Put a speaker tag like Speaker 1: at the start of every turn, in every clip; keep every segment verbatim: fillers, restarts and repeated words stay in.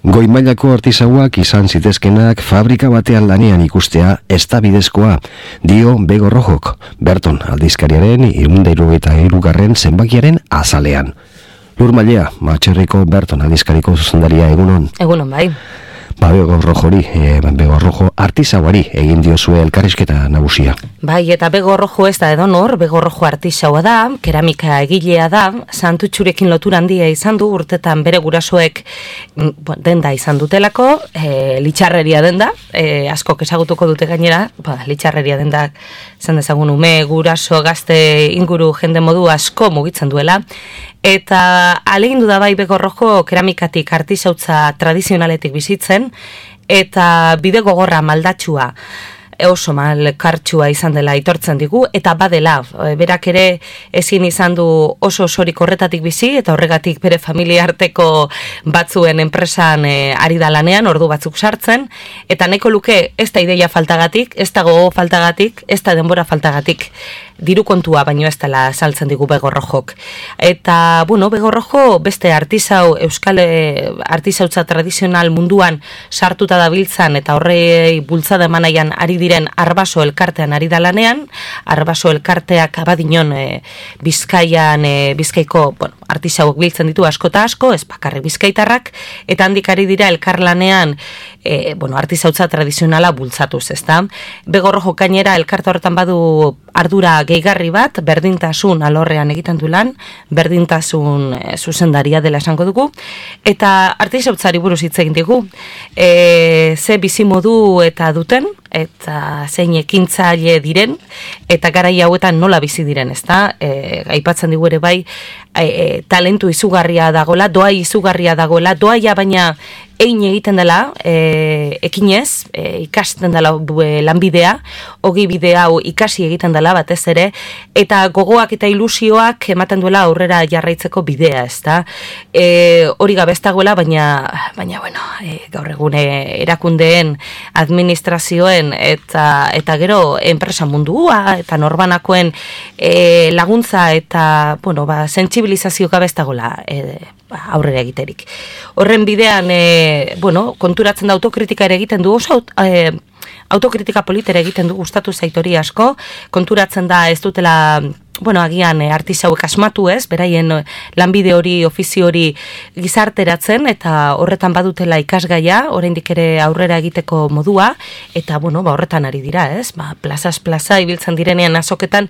Speaker 1: Goi mailako artisauak izan zitezkenak fabrika batean lanean ikustea ez da bidezkoa, dio Bego Rojok, Berton aldizkariaren ehun eta hirurogeita hirugarren zenbakiaren azalean. Lur Mailea, Matxerriko Berton aldizkariko zuzendaria, egunon.
Speaker 2: Egunon, bai.
Speaker 1: Ba, Bego Rojori, e, Bego Rojo artisauari egin diozue elkarrizketa nagusia.
Speaker 2: Bai, eta Bego Rojo ez da edonor, Bego Rojo artisaua da, keramika egilea da, Santutxurekin lotura handia izan du, urtetan bere gurasoek denda izan dutelako, e, litxarreria denda, e, askok ezagutuko dute gainera, ba, litxarreria denda izan dezagun ume, guraso, gazte inguru jende modu asko mugitzen duela, eta alegindu da bai Bego Rojo keramikatik artisautza tradizionaletik bizitzen, eta bide gogorra maldatxua, oso malkartsua izan dela aitortzen digu, eta badela, berak ere ezin izan du oso osorik horretatik bizi, eta horregatik bere familia arteko batzuen enpresan e, ari da lanean, ordu batzuk sartzen, eta nahiko luke ez da ideia faltagatik, ez da gogo faltagatik, ez da denbora faltagatik, diru kontua baino ez dela saltzen digu Bego Rojok. Eta, bueno, Bego Rojo beste artisau, euskal artisautza tradizional munduan sartuta dabiltzan eta horrei bultzada emanaian ari diren Arbaso elkartean ari da lanean, Arbaso elkarteak abadinon e, Bizkaian, e, Bizkaiko, bueno, artisauak biltzen ditu asko eta asko, ez bakarrik bizkaitarrak, eta handik ari dira elkarlanean e, bueno, artisautza tradizionala bultzatuz, ezta? Bego Rojo gainera elkarte horretan badu ardura gehigarri bat, berdintasun alorrean egiten du lan, berdintasun e, zuzendaria dela esango dugu, eta artisautzari buruz hitz egin digu, e, ze bizimodu eta duten, eta zein ekintzaile diren, eta garai hauetan nola bizi diren, ezta? E, aipatzen digu ere bai, e, talentu izugarria dagoela, doa izugarria dagoela, doaia baina egin egiten dela, e, ekinez, e, ikasten dela e, lanbidea, hogi bide hau ikasi egiten dela batez ere, eta gogoak eta ilusioak ematen duela aurrera jarraitzeko bidea, ezta? E, hori gabe ez dagoela, baina, baina bueno, e, gaur egun erakundeen, administrazioen, eta, eta gero enpresa mundua, eta norbanakoen e, laguntza, eta, bueno, ba, sentsibilizazio gabe ez dagoela, e, aurrera egiterik. Horren bidean, e, bueno, konturatzen da autokritika ere egiten du, oso e, autokritika politere egiten du, gustatu zaitori asko, konturatzen da ez dutela, bueno, agian e, artisauek asmatu ez, beraien lanbide hori, ofizio hori gizarteratzen, eta horretan badutela ikasgaia, oraindik ere aurrera egiteko modua, eta, bueno, ba, horretan ari dira, ez, ba, plazaz plaza ibiltzen direnean azoketan,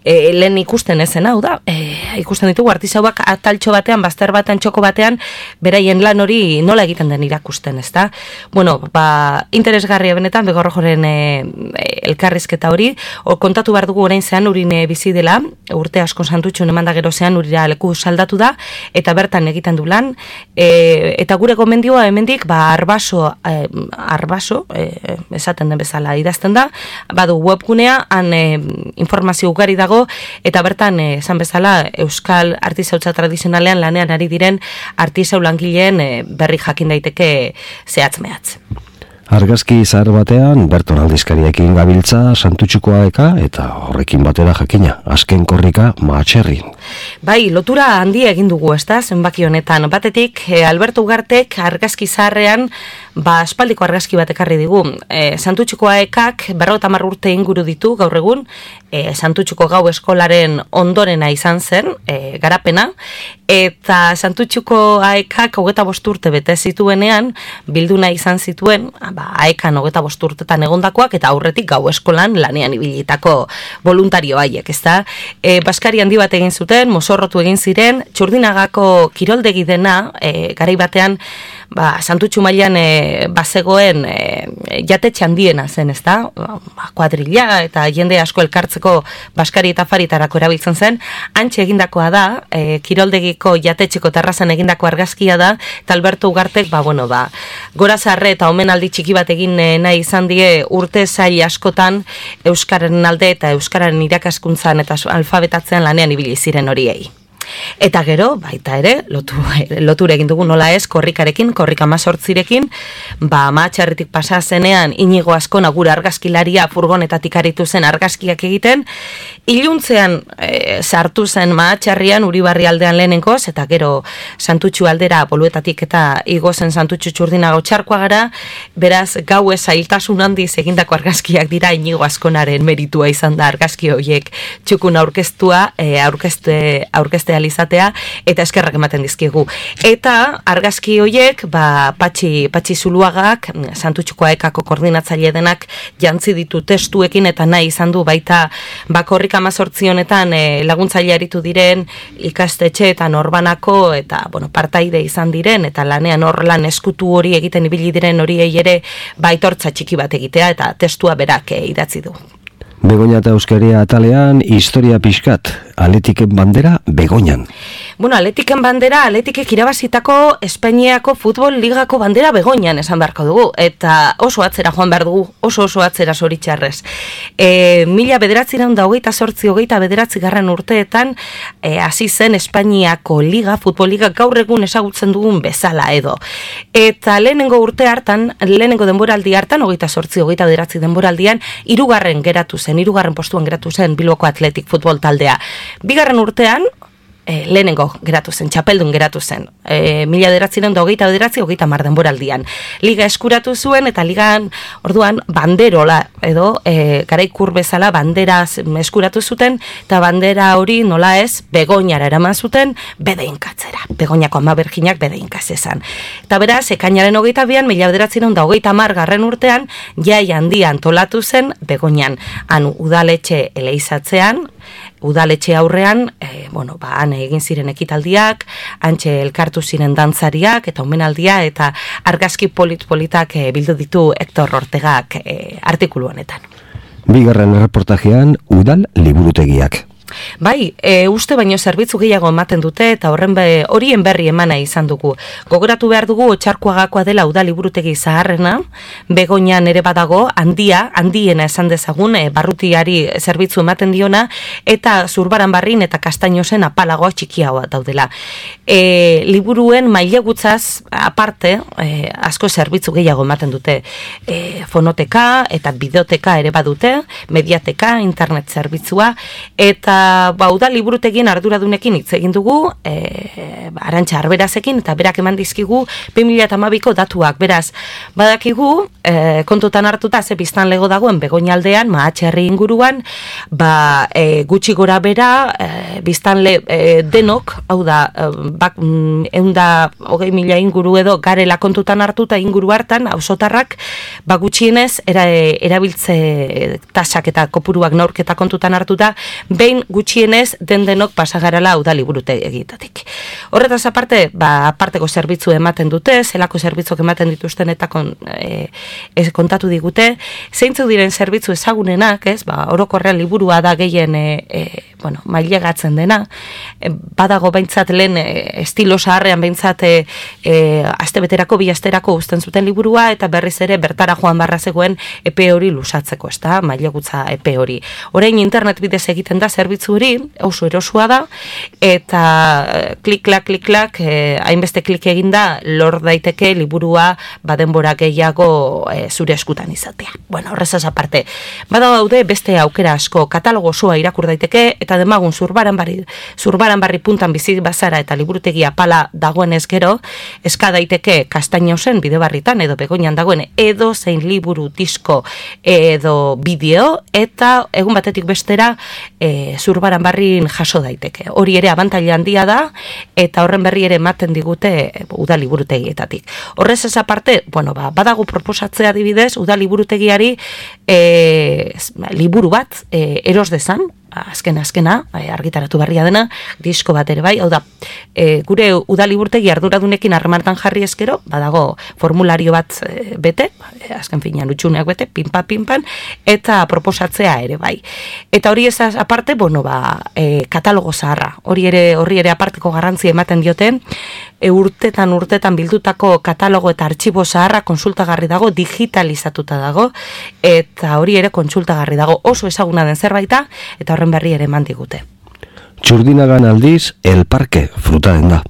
Speaker 2: e, lehen ikusten ezen hau da, e, ikusten ditugu artisauak ataltxo batean, bazter batean, txoko batean, beraien lan hori nola egiten den irakusten, ez da? Bueno, ba, interesgarria benetan, Bego Rojoren e, elkarrizketa hori, o, kontatu behar dugu orain zean urin e, bizi dela, urte asko Santutxun eman da gero zean urira leku saldatu da, eta bertan egiten du lan, e, eta gure gomendioa hemendik, ba, Arbaso, e, Arbaso, e, esaten den bezala idazten da, badu webgunea, han e, informazio ugari dago, eta bertan, e, esan bezala, euskal artisautza tradizionalean lanean ari diren artisau langileen e, berri jakin daiteke zehatz mehatz.
Speaker 1: Argazki zahar batean, Berton aldizkariekin gabiltza Santutxukoa eka, eta horrekin batera jakina, azken korrika Matxerri.
Speaker 2: Bai, lotura handia egin dugu, ezta, zenbaki honetan. Batetik, e, Alberto Ugartek argazki zaharrean, ba, aspaldiko argazki bat ekarri digu. E, Santutxukoa ekak berrogeta hamar urte inguru ditu gaur egun, e, Santutxuko gau eskolaren ondorena izan zen, e, garapena, eta Santutxuko aekak hogeta bost urte bete zituenean, bilduna izan zituen, ba, aekan hogeta bost urtetan egondakoak, eta aurretik gau eskolan lanean ibilitako voluntario haiek, ezta? E, Baskari handi bat egin zuten, mozorrotu egin ziren, Txurdinagako kiroldegi dena, e, garai batean, ba, Santutxu mailan e, bazegoen e, jatetxe handiena zen, ezta? Ba, kuadrilla eta jende asko elkartzeko Baskari eta Faritarako erabiltzen zen, antxe egindakoa da, e, kiroldegiko jatetxeko terrazan egindako argazkia da, eta Alberto Ugartek, ba, bueno, ba, gora zarre eta omenaldi txiki bat egin e, nahi izan die urte zail askotan Euskararen alde eta Euskararen irakaskuntzan eta alfabetatzean lanean ibili ziren horiei. Eta gero, baita ere, lotu, lotura egin dugu nola ez, korrikarekin, korrika mazortzirekin, ba, Mahatxarritik pasa zenean, Inigo Azkona gure argazkilaria furgonetatik aritu zen argazkiak egiten, iluntzean e, sartu zen Mahatxarrian, Uribarri aldean lehenengoz, eta gero Santutxu aldera Boluetatik eta igo zen Santutxu Txurdina Gautxarkoa gara, beraz, gau ez zailtasun handiz egindako argazkiak dira Inigo Azkonaren meritua izan da argazki horiek txukun aurkeztua, e, aurkezte, aurkezte alizatea, eta eskerrak ematen dizkigu. Eta argazki horiek, ba, Patxi, Patxi Zuluagak, Santutxuko ekako koordinatzaile denak jantzi ditu testuekin, eta nahi izan du baita bakorrik amazortzi honetan e, laguntzaile aritu diren ikastetxe eta norbanako, eta bueno, partaide izan diren, eta lanean hor lan eskutu hori egiten ibili diren horiei ere baitortza txiki bat egitea, eta testua berak e, idatzi du.
Speaker 1: Begoña eta Euskeria atalean, historia pixkat, Atletiken bandera Begoñan.
Speaker 2: Bueno, Atletiken bandera, Atletikek irabazitako Espainiako futbol ligako bandera Begoñan esan beharko dugu, eta oso atzera joan behar dugu, oso oso atzera zoritxarrez. E, mila bederatzireun da hogeita sortzi, hogeita bederatzi garren urteetan, e, hasi zen Espainiako liga, futbol liga gaur egun ezagutzen dugun bezala edo. Eta lehenengo urte hartan, lehenengo denboraldi hartan, hogeita sortzi, hogeita bederatzi denboraldian, hirugarren geratu zen, hirugarren postuan geratu zen Bilboko Athletic futbol taldea. Bigarren urtean, e, lehenengo geratu zen, txapeldun geratu zen, e, mila bederatzireun da hogeita bederatzi, hogeita mar denboraldian. Liga eskuratu zuen, eta ligan, orduan, banderola, edo, e, garaikur bezala, bandera eskuratu zuten, eta bandera hori nola ez, Begoñara eraman zuten, bedeinkatzera. Begoñako ama berginak bedeinkaz esan. Eta beraz, ekainaren hogeita bian, mila bederatzireun da hogeita mar garren urtean, jai handia antolatu zen Begoñan. Han udaletxe eleizatzean, udaletxe aurrean, e, bueno, ba, han egin ziren ekitaldiak, hantxe elkartu ziren dantzariak, eta omenaldia, eta argazki polit-politak e, bildu ditu Hector Ortegak e, artikulu honetan.
Speaker 1: Bigarren reportajean, udal liburutegiak.
Speaker 2: Bai, e, uste baino zerbitzu gehiago ematen dute, eta horren be, horien berri emana izan dugu. Gogoratu behar dugu Otxarkoagakoa dela udal liburutegi zaharrena, Begoñan ere badago, handia, handiena esan dezagun, e, barrutiari zerbitzu ematen diona, eta Zurbaranbarrin eta Kastainosen apalagoa txikiagoa daudela. E, liburuen mailegutzaz aparte, e, asko zerbitzu gehiago ematen dute. E, fonoteka eta bideoteka ere badute, mediateka, internet zerbitzua, eta ba, udal liburutegien arduradunekin hitz egin dugu, e, ba, Arantxa Arberazekin, eta berak eman dizkigu bi mila hamabiko datuak. Beraz, badakigu, e, kontutan hartuta ze biztanlego dagoen Begoña aldean, Mahatxerri inguruan, ba, e, gutxi gora bera, e, biztanle e, denok, hau da, e, bak, eunda hogei mila inguru edo garela kontutan hartuta inguru hartan, auzotarrak, ba, gutxienez, era, erabiltze tasak eta kopuruak neurketa kontutan hartuta, behin gutxienez den denok pasagarala udal liburutegitatik. Horretaz aparte, ba, aparteko zerbitzu ematen dute, zelako zerbitzuk ematen dituzten eta kon, e, ez, kontatu digute, zeintzu diren zerbitzu ezagunenak, ez, ba, orokorrean liburua da gehien e, e, bueno, mailegatzen dena, e, badago behintzat lehen e, estilo zaharrean behintzat e, e, aste beterako, bi asterako uzten zuten liburua, eta berriz ere bertara joan barra zegoen epe hori lusatzeko, ez da, mailegutza epe hori. Orain internet bidez egiten da zerbitzu hori, oso erosua da, eta klik-klak, klik-klak, eh, hainbeste klik eginda, lor daiteke liburua badenbora gehiago eh, zure eskutan izatea. Bueno, horrezaz aparte. Bada daude beste aukera asko, katalogo osoa irakur daiteke, eta demagun zurbaran barri, zurbaran barri puntan bizi bazara eta liburutegia pala dagoenez gero, eska daiteke Kastainosen bide barritan, edo Begoñan dagoen, edo zein liburu, disko, edo bideo, eta egun batetik bestera, e, Zurbaran barrin jaso daiteke. Hori ere abantaila handia da, eta horren berri ere ematen digute udal liburutegietatik. Horrez ez aparte, bueno, ba, badago proposatzea adibidez, udal liburutegiari e, liburu bat e, eros dezan, azkena, azkena, argitaratu berria dena, disko bat ere bai, hau da, e, gure udal liburutegi arduradunekin harremartan jarri ezkero, badago formulario bat e, bete, e, azken finean utxuneak bete, pinpa, pinpan, eta proposatzea ere bai. Eta hori ez aparte, bueno, ba, e, katalogo zaharra, hori ere, horri ere aparteko garrantzia ematen dioten, e, urtetan urtetan bildutako katalogo eta artxibo zaharra konsultagarri dago, digitalizatuta dago, eta hori ere kontsultagarri dago, oso ezaguna den zerbaita, eta horren berri ere eman digute.
Speaker 1: Txurdinagan aldiz, El Parke fruta denda.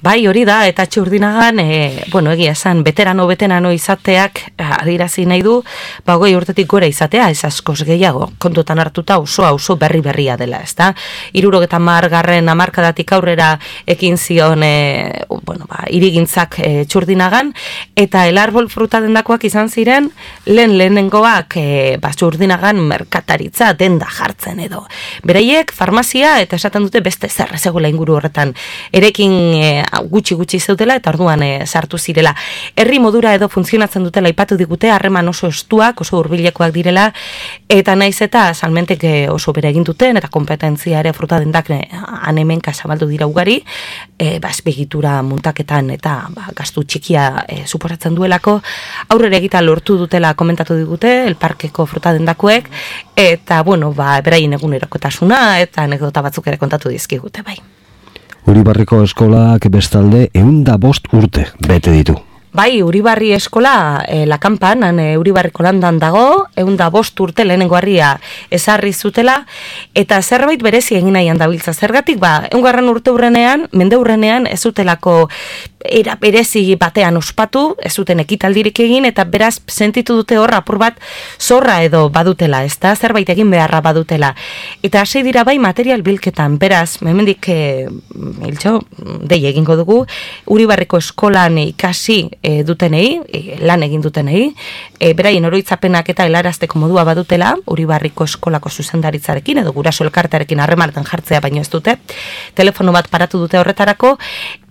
Speaker 2: Bai, hori da, eta Txurdinagan, e, bueno, egia esan, veterano veterano izateak adirazi nahi du, ba, goi urtetik gora izatea, ez askoz gehiago, kontutan hartuta oso oso berri berria dela, ez da? Irurogeta margarren amarkadatik aurrera ekin zion, e, bueno, ba, irigintzak e, Txurdinagan, eta El Arbol fruta dendakoak izan ziren, lehen lehenengoak, e, ba, Txurdinagan merkataritza denda jartzen edo. Beraiek, farmazia, eta esaten dute beste zer, zegoela inguru horretan, erekin e, gutxi gutxi zeutela eta orduan e, sartu zirela. Herri modura edo funtzionatzen dutela aipatu digute, harreman oso estuak, oso hurbilekoak direla, eta naiz eta salmentek oso bere egin duten, eta kompetentzia ere fruta dendak han hemenka zabaldu dira ugari, e, ba, espegitura muntaketan eta ba, gastu txikia e, suposatzen duelako, aurrera egita lortu dutela komentatu digute, El Parkeko fruta dendakoek, eta bueno, ba, beraien egunerokotasuna, eta anekdota batzuk ere kontatu dizkigute bai.
Speaker 1: Uribarriko eskolak bestalde ehun bost urte bete ditu.
Speaker 2: Bai, Uribarri eskola, e, Lakanpan, han e, Uribarriko landan dago, ehun bost urte lehenengo harria ezarri zutela, eta zerbait berezi egin nahian dabiltza. Zergatik, ba, ehungarren urte urrenean, mende urrenean, ez zutelako era berezi batean ospatu, ez zuten ekitaldirik egin, eta beraz sentitu dute hor apur bat zorra edo badutela, ez da, zerbait egin beharra badutela. Eta hasi dira bai material bilketan, beraz, hemendik e, hiltxo, dei egingo dugu, Uribarriko eskolan ikasi e, dutenei, e, lan egin dutenei, e, beraien oroitzapenak eta helarazteko modua badutela, Uribarriko eskolako zuzendaritzarekin, edo guraso elkartearekin harremanetan jartzea baino ez dute, telefono bat paratu dute horretarako,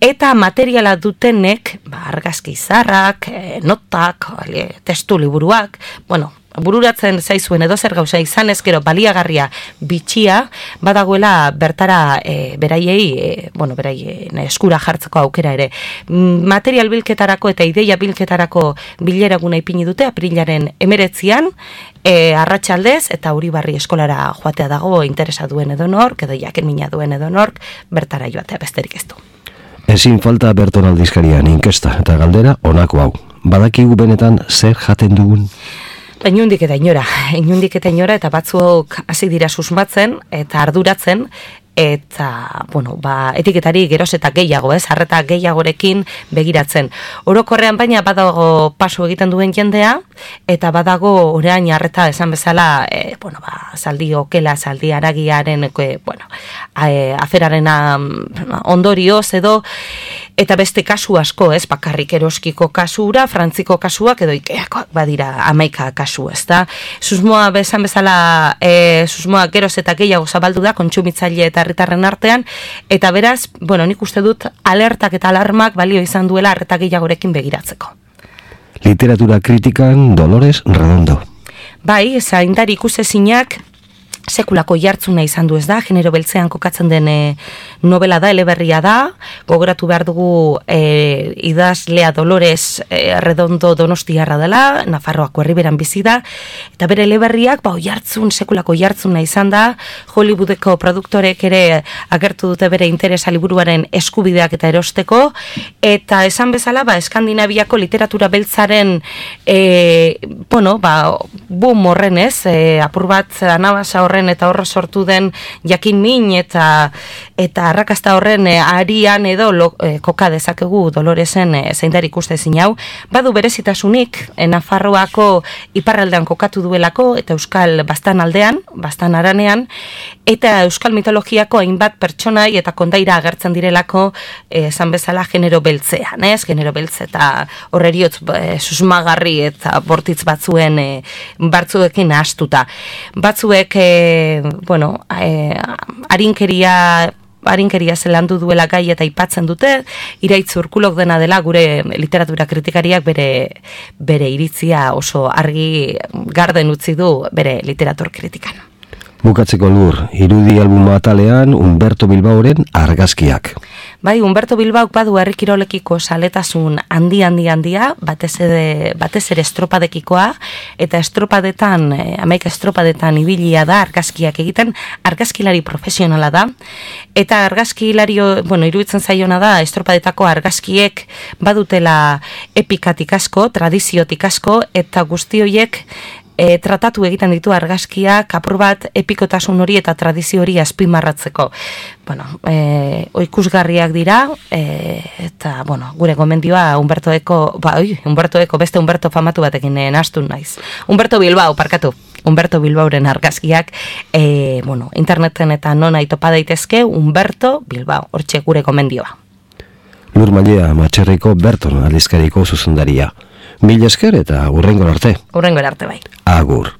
Speaker 2: eta materiala dutenek, ba, argazki izarrak, e, notak, e, testu liburuak, bueno, bururatzen zaizuen edo zer gauza izan ezkero baliagarria bitxia, badagoela bertara e, beraiei, e, bueno, beraien eskura jartzeko aukera ere. Material bilketarako eta ideia bilketarako bileraguna ipini dute, aprilaren emeretzian, e, arratsaldez eta Uribarri eskolara joatea dago interesa duen edo nork, edo jaken mina duen edo nork, bertara joatea besterik ez du.
Speaker 1: Ezin falta Berton aldizkarian inkesta eta galdera honako hau. Badakigu benetan zer jaten dugun?
Speaker 2: Inundik eta inora, inundik eta inora, eta batzuk hasi dira susmatzen eta arduratzen, eta, bueno, ba, etiketari geroz eta gehiago, ez, arreta gehiagorekin begiratzen. Orokorrean baina badago paso egiten duen jendea, eta badago orain arreta esan bezala, e, bueno, ba, zaldi okela, zaldi aragiaren, e, bueno, e, aferaren ondorioz edo, eta beste kasu asko, ez, bakarrik eroskiko kasura, frantziko kasuak, edo ikeakoak badira amaika kasu, ez da. Susmoa besan bezala, e, susmoa geroz eta gehiago zabaldu da, kontsumitzaile eta herritarren artean, eta beraz, bueno, nik uste dut alertak eta alarmak balio izan duela arreta gehiagorekin begiratzeko.
Speaker 1: Literatura kritikan Dolores Redondo.
Speaker 2: Bai, zaindari ikusezinak sekulako jartzuna izan du ez da, genero beltzean kokatzen den e, novela da, eleberria da, gogoratu behar dugu e, idazlea Dolores e, Redondo Donostiarra dela, Nafarroako herriberan bizi da, eta bere eleberriak, ba, jartzun, sekulako jartzuna izan da, Hollywoodeko produktorek ere agertu dute bere interesa liburuaren eskubideak eta erosteko, eta esan bezala, ba, Eskandinaviako literatura beltzaren, e, bueno, ba, boom horren ez, e, apur bat anabasa horren eta horra sortu den jakin min eta eta arrakasta horren e, arian edo lo, e, koka dezakegu Doloresen e, zeindari ikustezin hau. Badu berezitasunik e, Nafarroako iparraldean kokatu duelako eta euskal bastan aldean, bastan aranean, eta euskal mitologiako hainbat pertsonai eta kondaira agertzen direlako esan bezala genero beltzean, ez? Genero beltze eta horreriotz e, susmagarri eta bortitz batzuen e, batzuekin astuta. Batzuek e, bueno, eh, arinkeria arinkeria zelandu duela gai eta aipatzen dute, Iraitz Urkulok dena dela gure literatura kritikariak bere, bere iritzia oso argi garden utzi du bere literatur kritikan.
Speaker 1: Bukatzeko lur, irudi albuma atalean Humberto Bilbaoren argazkiak.
Speaker 2: Bai, Humberto Bilbaok badu herri kirolekiko saletasun handi handi handia, batez ere, batez ere estropadekikoa, eta estropadetan, eh, hamaika estropadetan ibilia da argazkiak egiten, argazkilari profesionala da, eta argazkilario, bueno, iruditzen zaiona da, estropadetako argazkiek badutela epikatik asko, tradiziotik asko, eta guzti horiek e, tratatu egiten ditu argazkiak apur bat epikotasun hori eta tradizio hori azpimarratzeko. Bueno, e, ikusgarriak dira, e, eta, bueno, gure gomendioa Humberto Eko, ba, oi, Humberto Eko, beste Humberto famatu batekin eh, nahastu naiz. Humberto Bilbao, parkatu. Humberto Bilbaoren argazkiak, e, bueno, interneten eta nona itopa daitezke, Humberto Bilbao, hortxe gure gomendioa.
Speaker 1: Lur Mailea Matxerriko Berton aldizkariko zuzendaria. Mil esker eta hurrengo arte.
Speaker 2: Hurrengo arte bai.
Speaker 1: Agur.